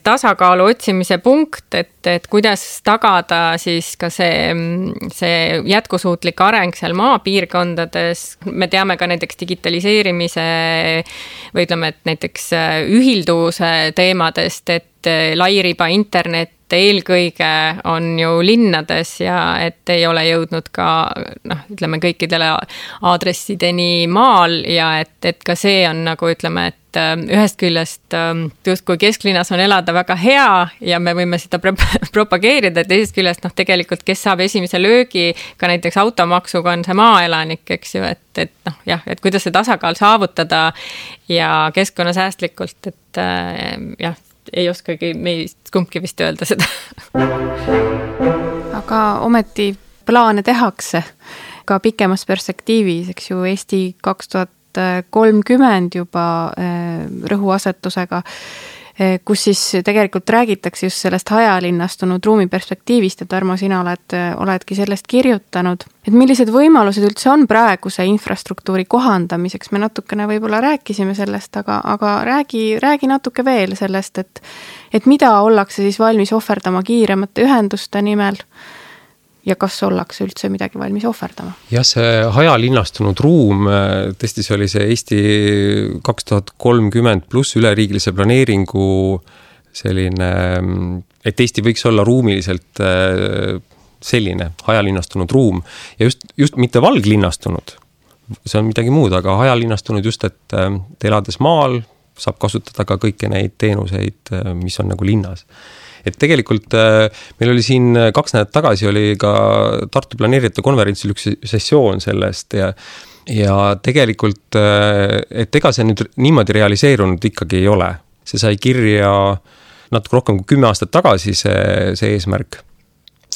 tasakaalu otsimise punkt, et, et kuidas tagada siis ka see, see jätkusuutlik areng seal maapiirkondades. Me teame ka näiteks digitaliseerimise või ütleme, et näiteks ühilduvuse teemadest, et lairiba internet eelkõige on ju linnades ja et ei ole jõudnud ka noh, ütleme kõikidele aadressideni maal ja et, et ka see on nagu ütleme, et ühest küljest just kui kesklinnas on elada väga hea ja me võime seda propageerida, et teisest küljest noh, tegelikult kes saab esimese löögi ka näiteks automaksuga on see maaelanik, eks ju, et, et noh, jah, et kuidas see tasakaal saavutada ja keskkonnasäästlikult, et jah, ei oskagi meist kumbki vist öelda seda. Aga ometi plaane tehakse ka pikemas perspektiivis, eks ju, Eesti kaks tuhat kolmkümmend juba rõhuasetusega, kus siis tegelikult räägitakse just sellest hajalinnastunud ruumi perspektiivist ja Tarmo, sina oled, oledki sellest kirjutanud. Et millised võimalused üldse on praeguse infrastruktuuri kohandamiseks? Me natukene võib-olla rääkisime sellest, aga, aga räägi, räägi natuke veel sellest, et, et mida ollakse siis valmis ohverdama kiiremate ühenduste nimel ja kas ollakse üldse midagi valmis ohverdama? Jah, see hajalinnastunud ruum, tõesti see oli see Eesti kaks tuhat kolmkümmend pluss üleriigilise planeeringu selline, et Eesti võiks olla ruumiliselt selline hajalinnastunud ruum ja just, just mitte valglinnastunud, see on midagi muud, aga hajalinnastunud just, et elades maal saab kasutada ka kõiki neid teenuseid, mis on nagu linnas. Et tegelikult meil oli siin kaks nädalat tagasi oli ka Tartu planeerijate konverentsil üks sessioon sellest ja, ja tegelikult, et ega see nüüd niimoodi realiseerunud ikkagi ei ole. See sai kirja natuke rohkem kui kümme aastat tagasi see, see eesmärk.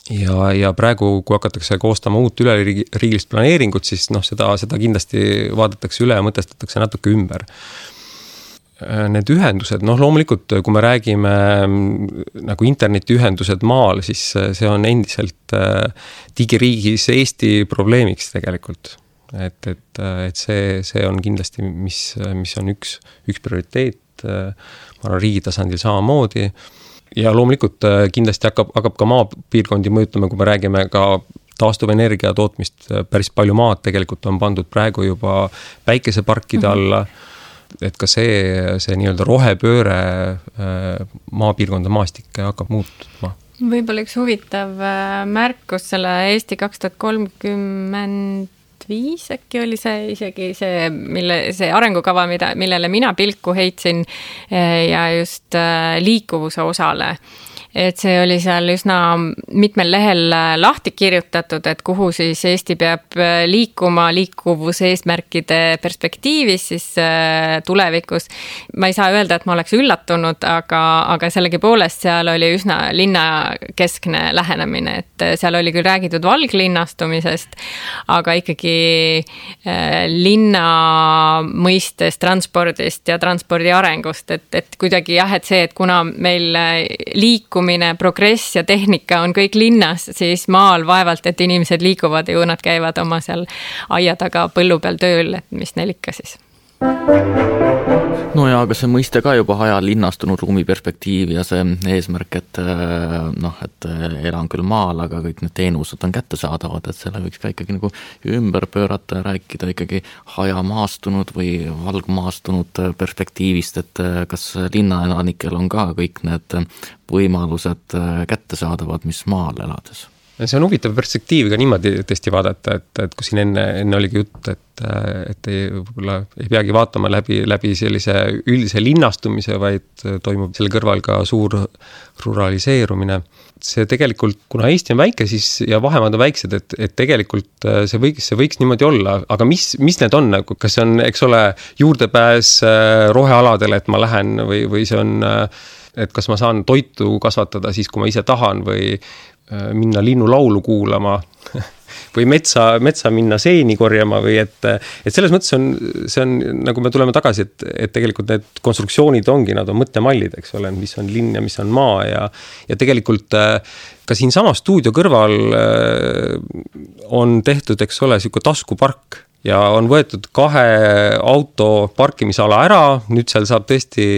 Ja, ja praegu, kui hakatakse koostama uut üleriigilist planeeringut, siis noh, seda, seda kindlasti vaadatakse üle ja mõtestatakse natuke ümber. Need ühendused, noh loomulikult, kui me räägime nagu internetiühendused maal, siis see on endiselt digiriigis Eesti probleemiks tegelikult. Et, et, et see, see on kindlasti, mis, mis on üks, üks prioriteet, ma arvan riigi tasandil samamoodi. Ja loomulikult kindlasti hakkab, hakkab ka maapiirkondi mõjutama, kui me räägime ka taastuvenergia tootmist, päris palju maad tegelikult on pandud praegu juba päikeseparkide alla, mm-hmm. et ka see, see nii-öelda rohepööre maapiirkonda maastikke hakkab muutuma. Võib-olla üks huvitav märkus selle Eesti kaks tuhat kolmkümmend viis äkki oli see isegi see, mille, see arengukava, mida, millele mina pilku heitsin ja just liikuvuse osale. Et see oli seal üsna mitmel lehel lahti kirjutatud, et kuhu siis Eesti peab liikuma liikuvuse eesmärkide perspektiivis siis tulevikus. Ma ei saa öelda, et ma oleks üllatunud, aga, aga sellegi poolest seal oli üsna linnakeskne lähenemine, et seal oli küll räägitud valglinnastumisest, aga ikkagi linna mõistes transpordist ja transpordi arengust, et, et kuidagi jah, et see, et kuna meil liikumine progress ja tehnika on kõik linnas, siis maal vaevalt, et inimesed liiguvad ja nad käivad oma seal aia taga põllu peal tööl, et mis neil ikka siis. No ja aga see mõiste ka juba haja linnastunud ruumi perspektiiv ja see eesmärk, et noh, et elan küll maal, aga kõik need teenused on kättesaadavad, et selle võiks ka ikkagi nagu ümber pöörata ja rääkida ikkagi hajamaastunud või valgmaastunud perspektiivist, et kas linnaelanikel on ka kõik need võimalused kättesaadavad, mis maal elades. See on huvitav perspektiiv ka niimoodi tõesti vaadata, et, et kui siin enne, enne oligi jutt, et, et ei, võib-olla ei peagi vaatama läbi, läbi sellise üldise linnastumise, vaid toimub selle kõrval ka suur ruraliseerumine. See tegelikult, kuna Eesti on väike siis, ja vahemaad on väiksed, et, et tegelikult see võiks, see võiks niimoodi olla, aga mis, mis need on? Kas see on, eks ole, juurdepääs rohealadele, et ma lähen või, või see on, et kas ma saan toitu kasvatada siis, kui ma ise tahan või minna linnulaulu kuulama või metsa, metsa minna seeni korjama või et, et selles mõttes on, see on, nagu me tuleme tagasi, et, et tegelikult need konstruktsioonid ongi, nad on mõttemallid, eks ole, mis on linn ja mis on maa ja, ja tegelikult ka siin sama stuudio kõrval on tehtud, eks ole, selline taskupark ja on võetud kahe auto parkimisala ära, nüüd seal saab tõesti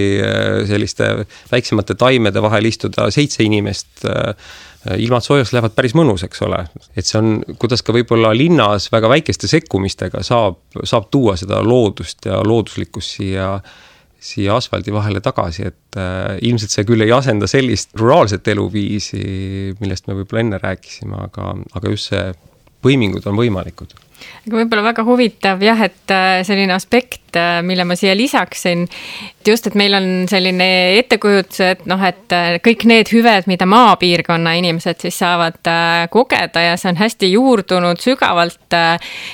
selliste väiksemate taimede vahel istuda seitse inimest, ilmad soojaks lähevad päris mõnus, eks ole. Et see on, kuidas ka võib-olla linnas väga väikeste sekkumistega saab, saab tuua seda loodust ja looduslikkust siia, siia asfaldi vahele tagasi, et äh, ilmselt see küll ei asenda sellist ruraalset eluviisi, millest me võib-olla enne rääkisime, aga, aga just see põimingud on võimalikud. Aga võib-olla väga huvitav jah, et selline aspekt, mille ma siia lisaksin, just, et meil on selline ettekujutus, et noh, et kõik need hüved, mida maapiirkonna inimesed siis saavad kogeda ja see on hästi juurdunud sügavalt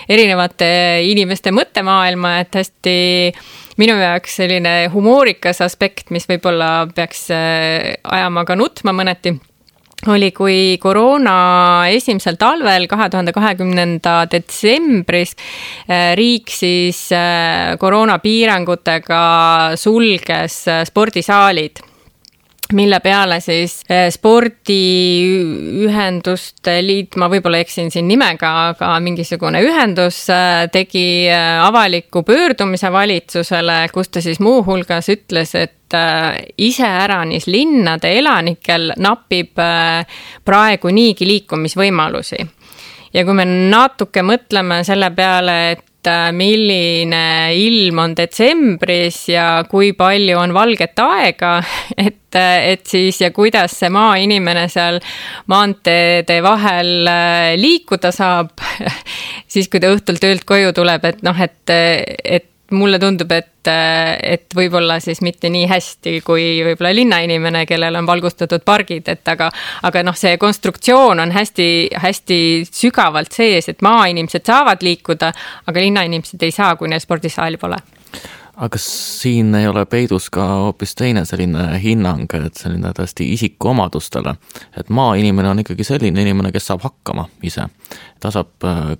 erinevate inimeste mõttemaailma, et hästi minu jaoks selline humoorikas aspekt, mis võib-olla peaks ajama ka nutma mõneti, oli, kui koroona esimesel talvel kahe tuhande kahekümnenda detsembris riik siis koroonapiirangutega sulges spordisaalid, mille peale siis spordiühenduste liit, ma võib-olla eksin siin nimega, aga mingisugune ühendus tegi avaliku pöördumise valitsusele, kus ta siis muu hulgas ütles, et iseäranis linnade elanikel napib praegu niigi liikumisvõimalusi. Ja kui me natuke mõtleme selle peale, et milline ilm on detsembris ja kui palju on valget aega, et, et siis ja kuidas see maainimene seal maanteede vahel liikuda saab, siis kui ta õhtul töölt koju tuleb, et noh, et, et mulle tundub, et, et võib-olla siis mitte nii hästi kui võib-olla linnainimene, kellel on valgustatud pargid, et aga, aga noh, see konstruktsioon on hästi, hästi sügavalt sees, et maainimesed saavad liikuda, aga linnainimesed ei saa, kui neil spordisaali pole. Aga siin ei ole peidus ka hoopis teine selline hinnang, et selline tõesti isiku omadustele, et maainimene on ikkagi selline inimene, kes saab hakkama ise. Ta saab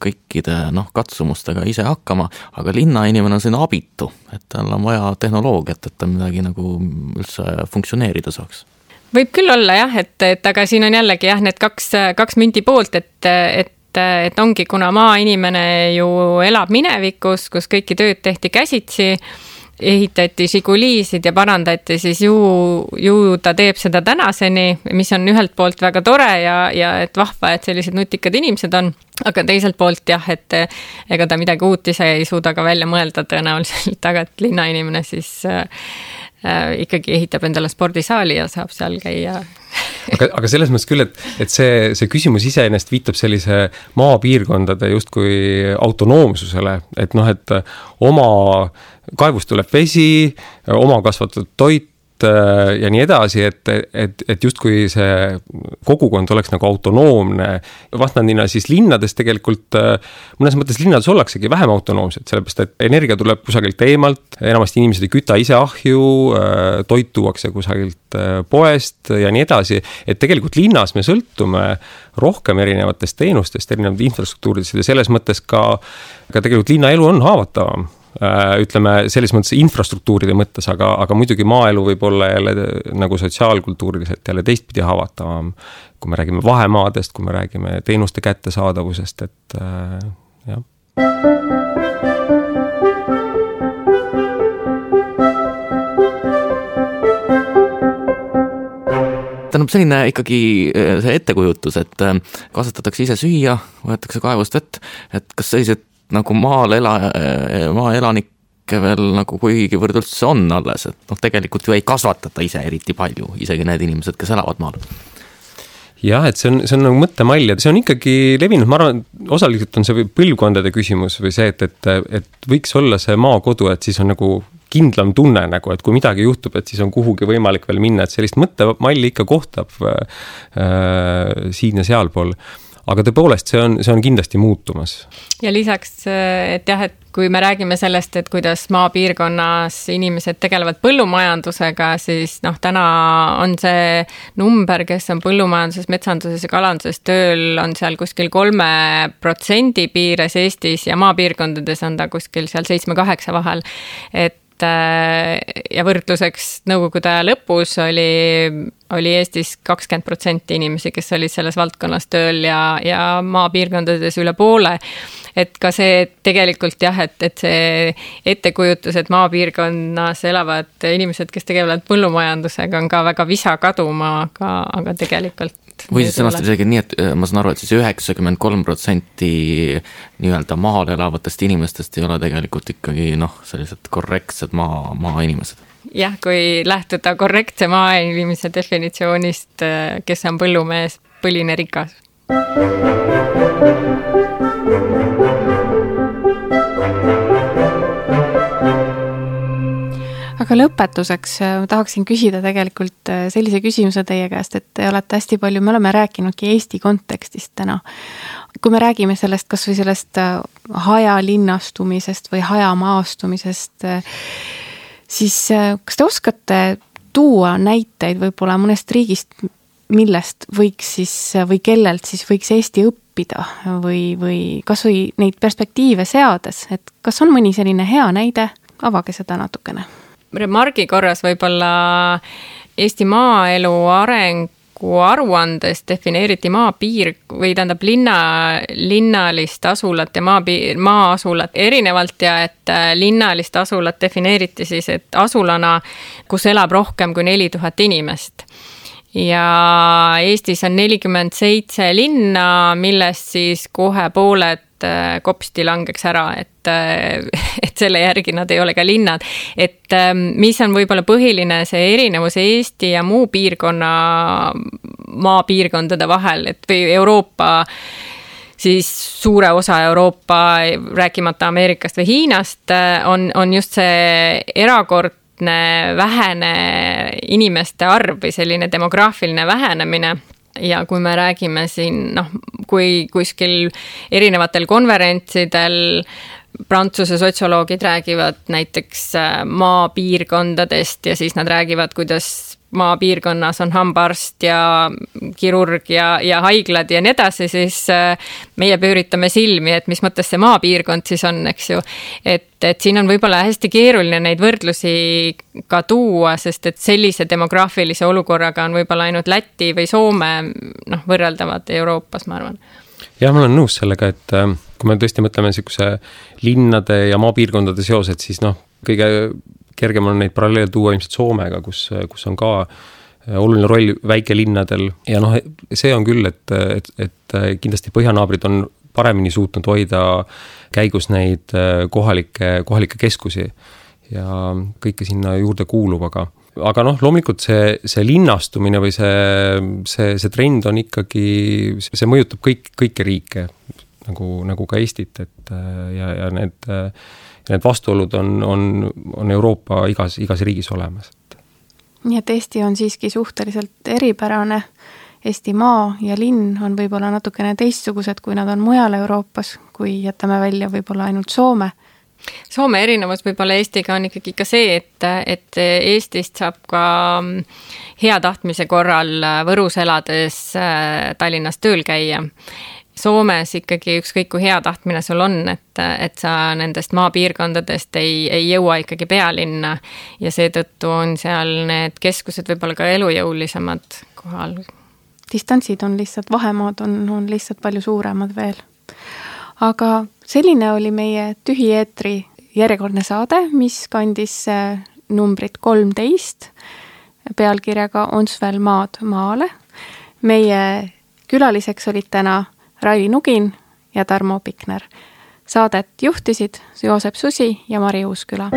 kõikide noh, katsumustega ise hakkama, aga linnainimene on selline abitu, et tal on vaja tehnoloogiat, et ta midagi nagu üldse funktsioneerida saaks. Võib küll olla jah, et, et aga siin on jällegi jah, need kaks, kaks mündi poolt, et, et et ongi, kuna maainimene ju elab minevikus, kus kõiki tööd tehti käsitsi, ehitati Žiguliisid ja parandati, siis ju, ju ta teeb seda tänaseni, mis on ühelt poolt väga tore ja, ja et vahva, et sellised nutikad inimesed on, aga teiselt poolt jah, et ega ta midagi uut ise ei suuda ka välja mõelda tõenäoliselt, aga et linnainimene siis äh, ikkagi ehitab endale spordisaali ja saab seal käia aga, aga selles mõttes küll, et, et see, see küsimus iseenesest viitab sellise maapiirkondade justkui autonoomsusele, et noh, et oma kaevust tuleb vesi, oma kasvatatud toit ja nii edasi, et, et, et justkui see kogukond oleks nagu autonoomne. Vastandina siis linnades tegelikult, mõnes mõttes linnades ollaksegi vähem autonoomsed, sellepärast et energia tuleb kusagilt eemalt, enamasti inimesed ei küta ise ahju, toit tuuakse kusagilt poest ja nii edasi, et tegelikult linnas me sõltume rohkem erinevatest teenustest, erinevatest infrastruktuuridest ja selles mõttes ka, ka tegelikult linnaelu on haavatavam. Ütleme selles mõttes infrastruktuuride mõttes, aga, aga muidugi maaelu võib olla jälle nagu sotsiaalkultuuriliselt jälle teistpidi haavatavam, kui me räägime vahemaadest, kui me räägime teenuste kättesaadavusest, et äh, jah. Tähendab selline ikkagi see ettekujutus, et kasvatatakse ise süüa, võetakse kaevust vett, et kas sellised nagu maal ela, maaelanikke veel nagu kuigivõrd üldse on alles, et noh, tegelikult ju ei kasvatata ise eriti palju, isegi need inimesed, kes elavad maal. Jah, et see on, see on nagu mõttemall ja see on ikkagi levinud, ma arvan, osaliselt on see põlvkondade küsimus või see, et, et, et võiks olla see maakodu, et siis on nagu kindlam tunne, nagu, et kui midagi juhtub, et siis on kuhugi võimalik veel minna, et sellist mõttemalli ikka kohtab äh, siin ja sealpool. Aga tõepoolest, see on, see on kindlasti muutumas. Ja lisaks, et jah, et kui me räägime sellest, et kuidas maapiirkonnas inimesed tegelevad põllumajandusega, siis noh, täna on see number, kes on põllumajanduses, metsanduses ja kalanduses tööl, on seal kuskil kolme protsendi piires Eestis ja maapiirkondades on ta kuskil seal seitsme kaheksa vahel. Et ja võrdluseks nõukogude aja lõpus oli, oli Eestis kakskümmend protsenti inimesi, kes olid selles valdkonnas tööl ja, ja maapiirkondades üle poole. Et ka see tegelikult jah, et, et see ettekujutus, et maapiirkonnas elavad inimesed, kes tegelevad põllumajandusega, on ka väga visa kaduma, aga, aga tegelikult või siis sõnast isegi nii, et ma saan aru, et siis üheksakümmend kolm protsenti nii-öelda maal elavatest inimestest ei ole tegelikult ikkagi noh, sellised korrektsed maa, maa inimesed. Jah, kui lähtuda korrektse maa inimese definitsioonist, kes on põllumees, põline rikas. Aga lõpetuseks tahaksin küsida tegelikult sellise küsimuse teie käest, et te olete hästi palju, me oleme rääkinudki Eesti kontekstist täna. Kui me räägime sellest, kas või sellest hajalinnastumisest või hajamaastumisest, siis kas te oskate tuua näiteid võib-olla mõnest riigist, millest võiks siis või kellelt siis võiks Eesti õppida või, või kas või neid perspektiive seades, et kas on mõni selline hea näide, avage seda natukene. Remargi korras võib-olla Eesti maaelu arengu aruandes defineeriti maapiir või tähendab linna, linnalist asulat ja maapiir, maa-asulat erinevalt ja et linnalist asulat defineeriti siis, et asulana, kus elab rohkem kui neli tuhat inimest. Ja Eestis on nelikümmend seitse linna, millest siis kohe pooled kopsti langeks ära, et, et selle järgi nad ei ole ka linnad. Et mis on võib-olla põhiline see erinevus Eesti ja muu piirkonna maapiirkondade vahel, et või Euroopa, siis suure osa Euroopa, rääkimata Ameerikast või Hiinast, on, on just see erakordne vähene inimeste arv või selline demograafiline vähenemine. Ja kui me räägime siin, noh, kui kuskil erinevatel konverentsidel Prantsuse sotsioloogid räägivad näiteks maapiirkondadest ja siis nad räägivad, kuidas maapiirkonnas on hambaarst ja kirurg ja, ja haiglad ja nii edasi, siis meie pööritame silmi, et mis mõttes see maapiirkond siis on, eks ju. Et, et siin on võib-olla hästi keeruline neid võrdlusi ka tuua, sest et sellise demograafilise olukorraga on võib-olla ainult Läti või Soome noh, võrreldavad Euroopas, ma arvan. Jah, ma olen nõus sellega, et kui me tõesti mõtleme niisuguse linnade ja maapiirkondade seosed, siis noh, kõige kergem on neid paralleele tuua ilmselt Soomega, kus, kus on ka oluline roll väikelinnadel ja noh, see on küll, et, et, et kindlasti põhjanaabrid on paremini suutnud hoida käigus neid kohalikke, kohalikke keskusi ja kõike sinna juurde kuulub, aga aga noh, loomulikult see, see linnastumine või see, see, see trend on ikkagi, see mõjutab kõik, kõiki riike, nagu, nagu ka Eestit, et ja, ja need, need vastuolud on, on, on Euroopa igas, igas riigis olemas. Nii et Eesti on siiski suhteliselt eripärane. Eesti maa ja linn on võib-olla natukene teistsugused, kui nad on mujal Euroopas, kui jätame välja võib-olla ainult Soome. Soome erinevus võib-olla Eestiga on ikkagi ka see, et, et Eestist saab ka hea tahtmise korral Võrus elades Tallinnas tööl käia. Soomes ikkagi ükskõik kui hea tahtmine sul on, et, et sa nendest maapiirkondadest ei, ei jõua ikkagi pealinna ja seetõttu on seal need keskused võib-olla ka elujõulisemad kohal. Distantsid on lihtsalt, vahemaad on, on lihtsalt palju suuremad veel. Aga selline oli meie tühieetri järjekordne saade, mis kandis numbrit kolmteist pealkirjaga Ondsvel maad maale. Meie külaliseks olid täna Raili Nugin ja Tarmo Pikner. Saadet juhtisid Joosep Susi ja Mari Uusküla.